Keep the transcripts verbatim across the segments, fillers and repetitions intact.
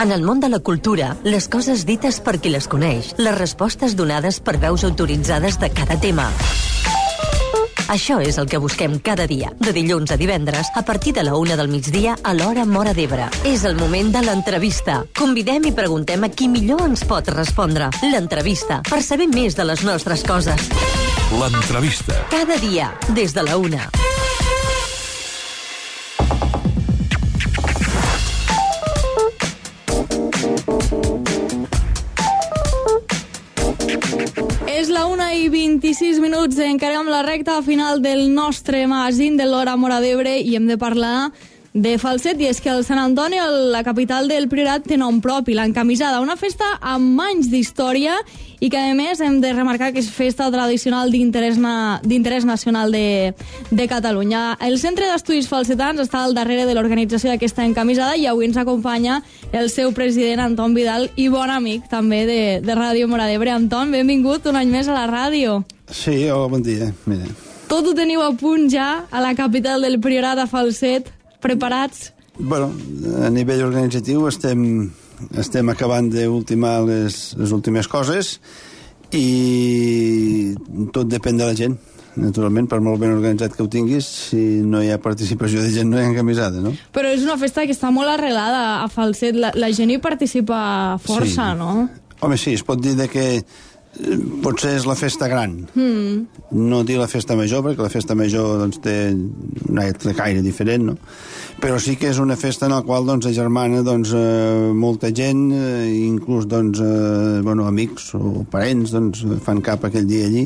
En el món de la cultura, les coses dites per qui les coneix, les respostes donades per veus autoritzades de cada tema. Això és el que busquem cada dia, de dilluns a divendres, a partir de la una del migdia a l'hora Móra d'Ebre. És el moment de l'entrevista. Convidem i preguntem a qui millor ens pot respondre. L'entrevista, per saber més de les nostres coses. L'entrevista. Cada dia, des de la una. És la una i vint-i-sis minuts, encarem la recta final del nostre magazín de l'hora Móra d'Ebre i hem de parlar de Falset, i és que el Sant Antoni, la capital del Priorat, té nom propi, l'Encamisada, una festa amb anys d'història i que a més hem de remarcar que és festa tradicional d'interès na, d'interès nacional de, de Catalunya. El Centre d'Estudis Falsetans està al darrere de l'organització d'aquesta Encamisada i avui ens acompanya el seu president, Anton Vidal, i bon amic també de, de Ràdio Móra d'Ebre. Anton, benvingut un any més a la ràdio. Sí, hola, bon dia. Mira. Tot ho teniu a punt ja a la capital del Priorat, a Falset, preparats? Bueno, a nivell organitzatiu estem, estem acabant d'ultimar les, les últimes coses i tot depèn de la gent. Naturalment, per molt ben organitzat que ho tinguis, si no hi ha participació de gent no hi ha encamisada, no? Però és una festa que està molt arrelada a Falset, la, la gent hi participa força, sí. No? Home, sí, es pot dir de que potser és la festa gran. Mm. No dir la festa major, perquè la festa major doncs, té un altre caire diferent, no? Però sí que és una festa en la qual doncs, agermana doncs, eh, molta gent, eh, inclús doncs, eh, bueno, amics o parents doncs, fan cap aquell dia allí,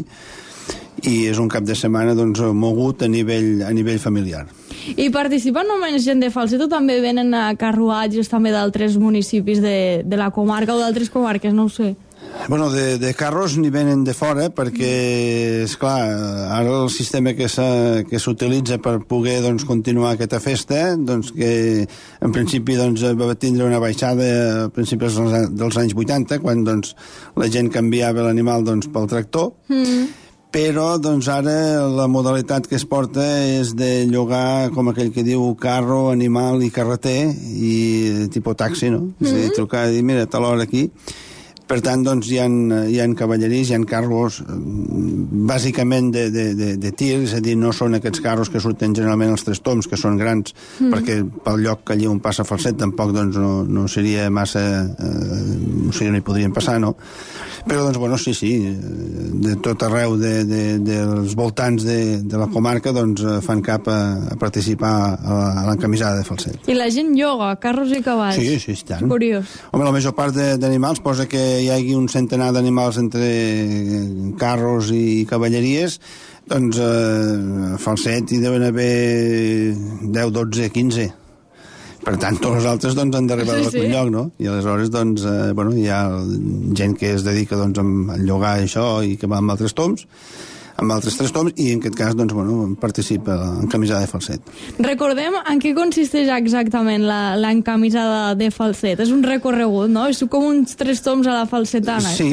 i és un cap de setmana doncs, mogut a nivell, a nivell familiar. I participen només gent de Falset o també venen a carruatges també d'altres municipis de, de la comarca o d'altres comarques, no ho sé? Bueno, de, de carros n'hi venen de fora perquè, esclar, ara el sistema que s'utilitza per poder doncs, continuar aquesta festa, doncs, que en principi doncs, va tindre una baixada a principis dels anys vuitanta, quan doncs, la gent canviava l'animal doncs, pel tractor, mm. però doncs, ara la modalitat que es porta és de llogar, com aquell que diu, carro, animal i carreter, i tipus taxi, no? Mm. És a dir, trucar i dir, mira, a tal hora aquí. Per tant, doncs, hi ha, hi ha cavalleries, hi ha carros bàsicament de, de, de, de tir, és a dir, no són aquests carros que surten generalment als tres toms, que són grans, mm. perquè pel lloc que allí on passa Falset tampoc doncs, no, no seria massa... Eh, o sigui, no hi podrien passar, no? Però, doncs, bueno, sí, sí, de tot arreu de, de, dels voltants de, de la comarca doncs, fan cap a, a participar a l'encamisada de Falset. I la gent lloga, carros i cavalls. Sí, sí, tant. Curiós. Home, la major part d'animals posa que hi hagi un centenar d'animals entre carros i cavalleries, doncs eh, a Falset hi deuen haver deu, dotze, quinze. Per tant, tots els altres doncs, han d'arribar sí, a algun sí. lloc, no? I aleshores doncs, eh, bueno, hi ha gent que es dedica doncs, a llogar això i que va amb altres toms, amb altres tres toms, i en aquest cas doncs, bueno, participa en camisada de Falset. Recordem en què consisteix exactament l'encamisada de Falset. És un recorregut, no? És com uns tres toms a la falsetana. Sí,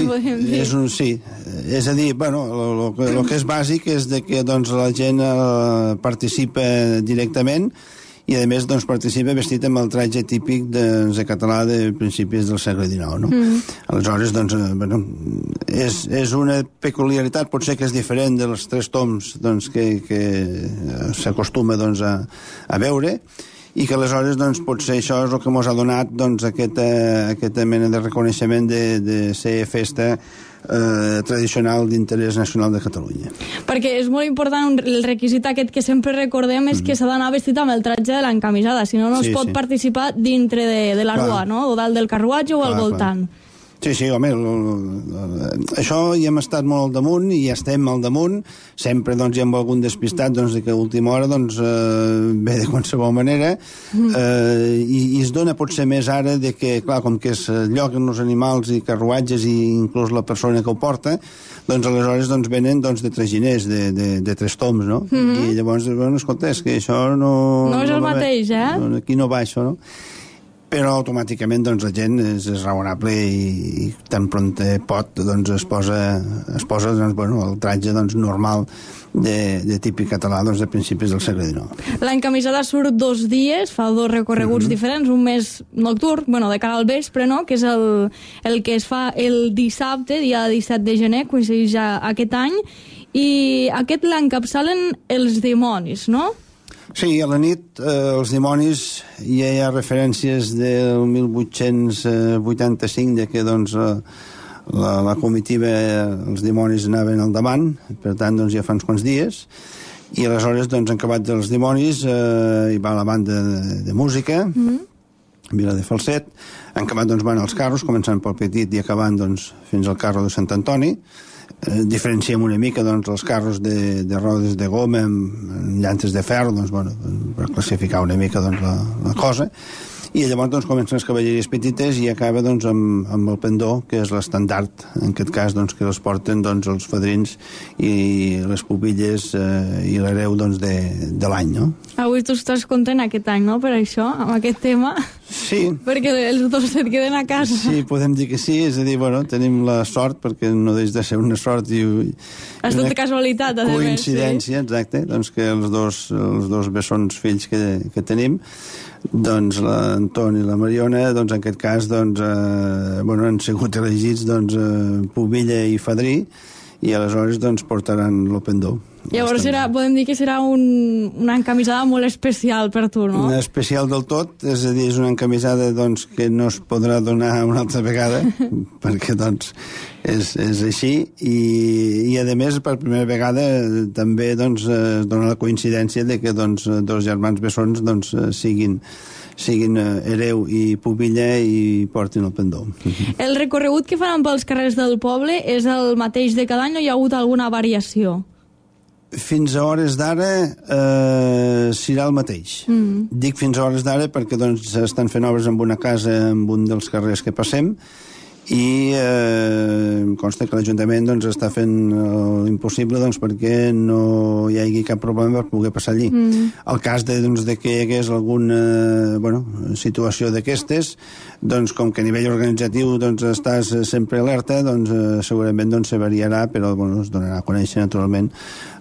és un, sí. És a dir, bueno, el que és bàsic és de que doncs, la gent eh, participa directament i a més doncs, participa vestit amb el tratge típic de, de català de principis del segle dinou, no? Mm. Aleshores, doncs, eh, bueno, és, és una peculiaritat, potser que és diferent dels tres toms doncs, que, que s'acostuma doncs, a, a veure, i que aleshores doncs, potser això és el que ens ha donat doncs, aquesta, aquesta mena de reconeixement de, de ser festa eh, tradicional d'interès nacional de Catalunya. Perquè és molt important, el requisit aquest que sempre recordem és mm. que s'ha d'anar vestit amb el tratge de l'encamisada, si no no sí, es pot sí. participar dintre de, de la rua, no? O dalt del carruatge o clar, al voltant. Clar. Sí, sí, home, l, l, l, això hi hem estat molt al damunt i estem al damunt, sempre doncs, hi ha algun despistat doncs, que a última hora doncs, eh, ve de qualsevol manera eh, i, i es dona potser més ara de que, clar, com que es lloguen els animals i carruatges i inclús la persona que ho porta, doncs aleshores doncs, venen doncs, de traginers, de, de, de tres toms, no? Mm-hmm. I llavors, bueno, escolta, és que això no... No és el no mateix, eh? No, aquí no va això, no? però automàticament doncs, la gent és, és raonable i, i tan pront pot doncs, es posa, es posa doncs, bueno, el tratge doncs, normal de, de típic català doncs, de principis del segle dinou. L'encamisada surt dos dies, fa dos recorreguts mm-hmm. diferents, un més nocturn, bueno, de cara al vespre, no?, que és el, el que es fa el dissabte, dia disset de gener, coincideix ja aquest any, i aquest l'encapçalen els dimonis, no? Sí, a la nit eh, els dimonis ja hi ha referències del mil vuit-cents vuitanta-cinc de que doncs, la, la comitiva, els dimonis anaven al davant, per tant doncs, ja fa uns quants dies, i aleshores doncs, han acabat els dimonis, eh, hi va la banda de, de música, mm-hmm. Vila de Falset, han acabat doncs, van els carros, començant pel Petit i acabant doncs, fins al carro de Sant Antoni. Eh, diferenciem una mica doncs, els carros de, de rodes de goma amb, amb llantes de ferro doncs, bueno, per classificar una mica doncs, la, la cosa, i llavors doncs, comencen les cavalleries petites i acaba doncs, amb, amb el pendó, que és l'estandard, en aquest cas doncs, que els porten doncs, els fadrins i les pubilles eh, i l'hereu doncs, de, de l'any, no? Avui tu estàs content aquest any, no?, per això, amb aquest tema. Sí. Perquè els dos et queden a casa. Sí, podem dir que sí, és a dir, bueno, tenim la sort, perquè no deix de ser una sort i, és tota casualitat, a coincidència, sí. Exacte, doncs que els dos, els dos bessons fills que, que tenim, doncs l'Anton i la Mariona, doncs en aquest cas, doncs, eh, bueno, han sigut elegits, doncs, eh, pubilla i fadrí, i aleshores, doncs, portaran el pendó. Llavors serà, podem dir que serà un, una encamisada molt especial per tu, no? Una especial del tot, és a dir, és una encamisada doncs, que no es podrà donar una altra vegada, perquè doncs, és, és així, i, i a més, per primera vegada també doncs, es dona la coincidència de que doncs, dos germans bessons doncs, siguin siguin hereu i pubilla i portin el pendó. El recorregut que faran pels carrers del poble és el mateix de cada any o hi ha hagut alguna variació? Fins a hores d'ara eh, serà el mateix. Mm. Dic fins a hores d'ara perquè doncs, estan fent obres en una casa en un dels carrers que passem i eh, em consta que l'Ajuntament doncs, està fent l'impossible doncs, perquè no hi hagi cap problema per poder passar allí. Mm. El cas de, doncs, de que hi hagués alguna bueno, situació d'aquestes, doncs, com que a nivell organitzatiu doncs, estàs sempre alerta, doncs, eh, segurament doncs, se variarà, però bueno, es donarà a conèixer naturalment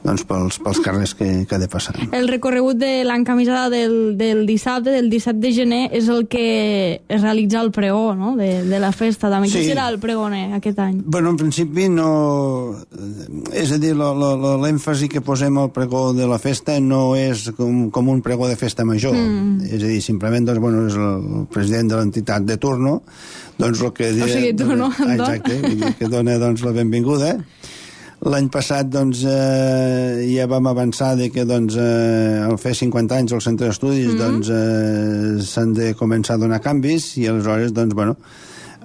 doncs, pels, pels carrers que, que ha de passar. El recorregut de l'encamisada del, del dissabte, del disset de gener, és el que es realitza el pregó, no?, de, de la festa. També. Sí. Qui serà el pregoner aquest any? Bueno, en principi no... És a dir, l'èmfasi que posem al pregó de la festa no és com, com un pregó de festa major. Mm. És a dir, simplement doncs, bueno, és el president de l'entitat de turno, doncs el que... O sigui, tu, no? Ah, exacte, que dona doncs, la benvinguda. L'any passat doncs, eh, ja vam avançar de que doncs, eh, al fer cinquanta anys al centre d'estudis mm-hmm. doncs, eh, s'han de començar a donar canvis i aleshores doncs, bueno,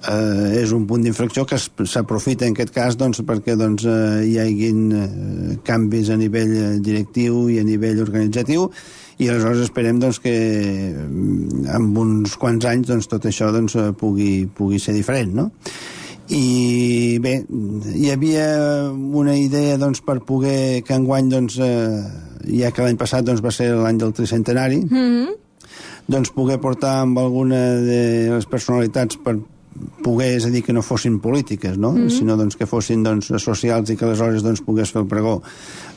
eh, és un punt d'inflexió que s'aprofita en aquest cas doncs, perquè doncs, eh, hi haguin eh, canvis a nivell directiu i a nivell organitzatiu i aleshores esperem doncs, que en uns quants anys doncs, tot això doncs, pugui, pugui ser diferent, no? I bé, hi havia una idea doncs, per poder que enguany doncs, eh, ja que l'any passat doncs, va ser l'any del tricentenari mm-hmm. doncs poder portar amb alguna de les personalitats per poder, és a dir, que no fossin polítiques, no? Mm-hmm. Sinó doncs, que fossin doncs, socials i que aleshores doncs, pogués fer el pregó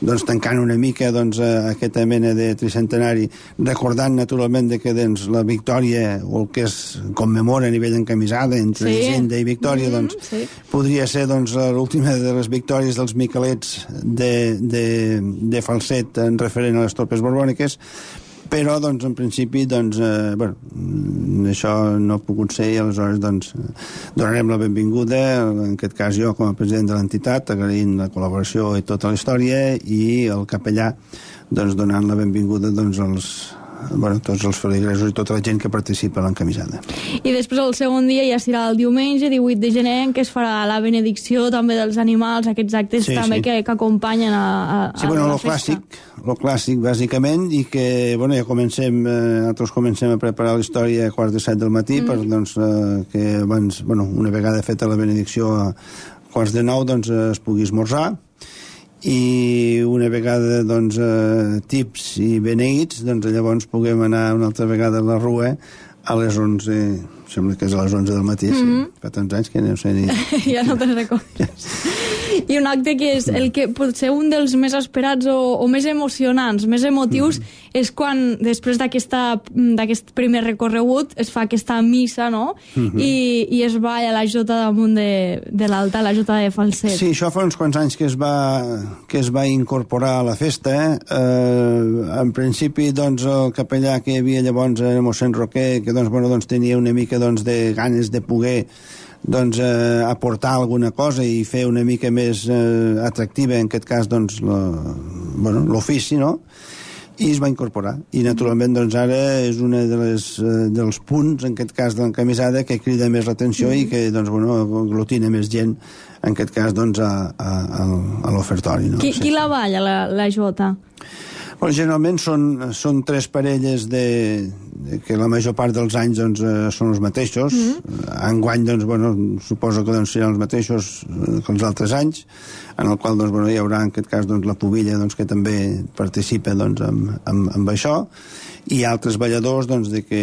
doncs, tancant una mica doncs, aquesta mena de tricentenari, recordant naturalment de que doncs, la victòria o el que es commemora a nivell encamisada entre sí. Hisenda i Victòria mm-hmm, doncs, sí. podria ser doncs, l'última de les victòries dels Miquelets de, de, de Falset en referent a les tropes borbòniques, però doncs, en principi doncs, eh, bueno, això no ha pogut ser i aleshores doncs, donarem la benvinguda, en aquest cas jo com a president de l'entitat, agraint la col·laboració i tota la història i el capellà doncs, donant la benvinguda doncs, als bueno, tots els feligresos i tota la gent que participa a l'encamisada. I després el segon dia ja serà el diumenge, divuit de gener, en què es farà la benedicció també dels animals, aquests actes sí, també sí. Que, que acompanyen a, a, sí, bueno, a la lo festa. Clàssic, lo clàssic, bàsicament, i que, bueno, ja comencem, eh, nosaltres comencem a preparar la història a quarts de set del matí, mm. per, doncs, eh, que abans, bueno, una vegada feta la benedicció a quarts de nou, doncs, eh, es pugui esmorzar, i una vegada doncs, eh, tips i beneïts doncs llavors puguem anar una altra vegada a la rua a les onze, sembla que és a les onze del matí, sí. Mm-hmm. Fa tants anys que no sé ni... Ja no te'n recordes. I un acte que és el que pot ser un dels més esperats o, o més emocionants, més emotius, mm-hmm. és quan, després d'aquest primer recorregut, es fa aquesta missa, no? Mm-hmm. I, i es balla la jota damunt de, de l'altar, la jota de falset. Sí, això fa uns quants anys que es va, que es va incorporar a la festa. Eh, en principi, doncs, el capellà que hi havia llavors era mossèn Roquer, que doncs, bueno, doncs, tenia una mica doncs, de ganes de poder doncs, eh, aportar alguna cosa i fer una mica més eh, atractiva, en aquest cas, doncs, l'ofici, bueno, no? I es va incorporar. I, naturalment, doncs, ara és un de les, eh, dels punts, en aquest cas, de l'encamisada, que crida més l'atenció mm. i que, doncs, bueno, aglutina més gent, en aquest cas, doncs, a, a, a l'ofertori. No? Qui, sí. qui la balla, la, la jota? Bueno, generalment són, són tres parelles de, de, que la major part dels anys doncs, eh, són els mateixos. Mm-hmm. Enguany, doncs, bueno, suposo que doncs, seran els mateixos que els altres anys, en el qual doncs, bueno, hi haurà en aquest cas doncs, la pubilla doncs, que també participa doncs, amb, amb, amb això, i altres balladors doncs, de que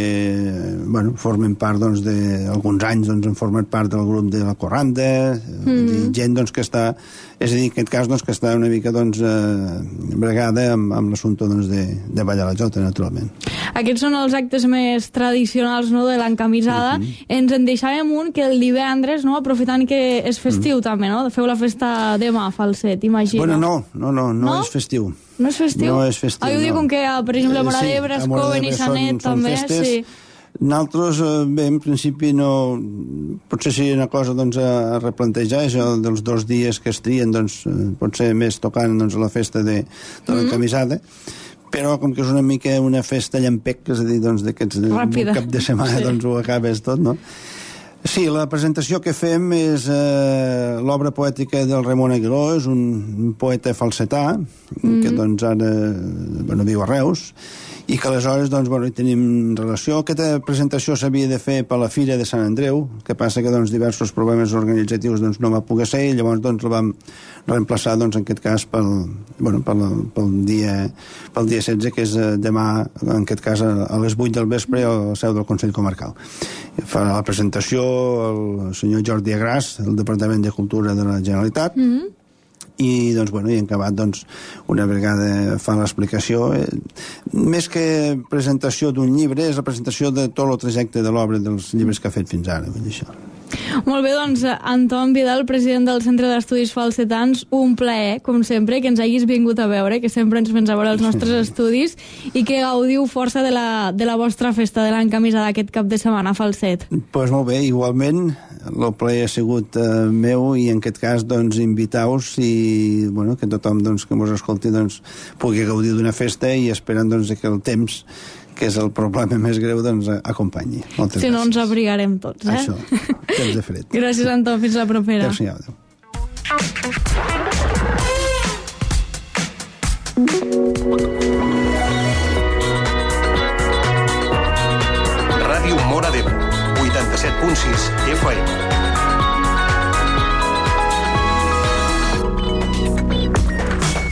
bueno, formen part doncs, d'alguns anys doncs, han format part del grup de la Corranda, mm. gent doncs, que està, és a dir, en aquest cas doncs, que està una mica doncs, eh, bregada amb, amb l'assumpte doncs, de, de ballar la jota, naturalment. Aquests són els actes més tradicionals, no?, de l'encamisada. Mm-hmm. Ens en deixàvem un que el divendres, no?, aprofitant que és festiu mm. també, no?, feu la festa demà, Falset, imagina. Bueno, no, no, no, no, no? és festiu. No és festiu? No és festiu, ah, jo no. dic com que, per exemple, a Móra d'Ebre, Escoven i Sanet, també, festes. Sí. Nosaltres, bé, en principi no... Potser seria una cosa doncs, a replantejar, això dels dos dies que es trien, doncs, potser més tocant doncs, la festa de, de l'encamisada, mm-hmm. però com que és una mica una festa llampec, és a dir, doncs, d'aquests cap de setmana sí. doncs, ho acabes tot, no? Sí, la presentació que fem és eh, l'obra poètica del Ramon Aguiló, és un, un poeta falsetà, mm. que doncs ara bueno, viu a Reus, i que aleshores doncs, bueno, hi tenim relació. Aquesta presentació s'havia de fer per la Fira de Sant Andreu, que passa que doncs, diversos problemes organitzatius doncs, no va poder ser, i llavors doncs, la vam reemplaçar doncs, en aquest cas pel, bueno, pel, pel, dia, pel dia setze, que és demà, en aquest cas a les vuit del vespre, al seu del Consell Comarcal. Farà la presentació el senyor Jordi Agràs, del Departament de Cultura de la Generalitat, mm-hmm. i doncs, bueno, i en acabat doncs, una vegada fa l'explicació eh, més que presentació d'un llibre és la presentació de tot el trajecte de l'obra dels llibres que ha fet fins ara, vull dir això. Molt bé, doncs, Anton Vidal, president del Centre d'Estudis Falsetans, un plaer, com sempre, que ens hagis vingut a veure, que sempre ens vens a veure els nostres estudis i que gaudiu força de la, de la vostra festa de l'encamisada aquest cap de setmana a Falset. Doncs pues molt bé, igualment, el plaer ha sigut eh, meu i en aquest cas, doncs, invitar-vos i, bueno, que tothom, doncs, que mos escolti, doncs, pugui gaudir d'una festa i esperant, doncs, que el temps que és el problema més greu, doncs acompanyi. Moltes si gràcies. no ens abrigarem tots, eh? Això, temps de fred. Gràcies, Anton, fins la propera. Adéu-siau, adéu. Ràdio Móra d'Ebre, vuitanta-set punt sis F M.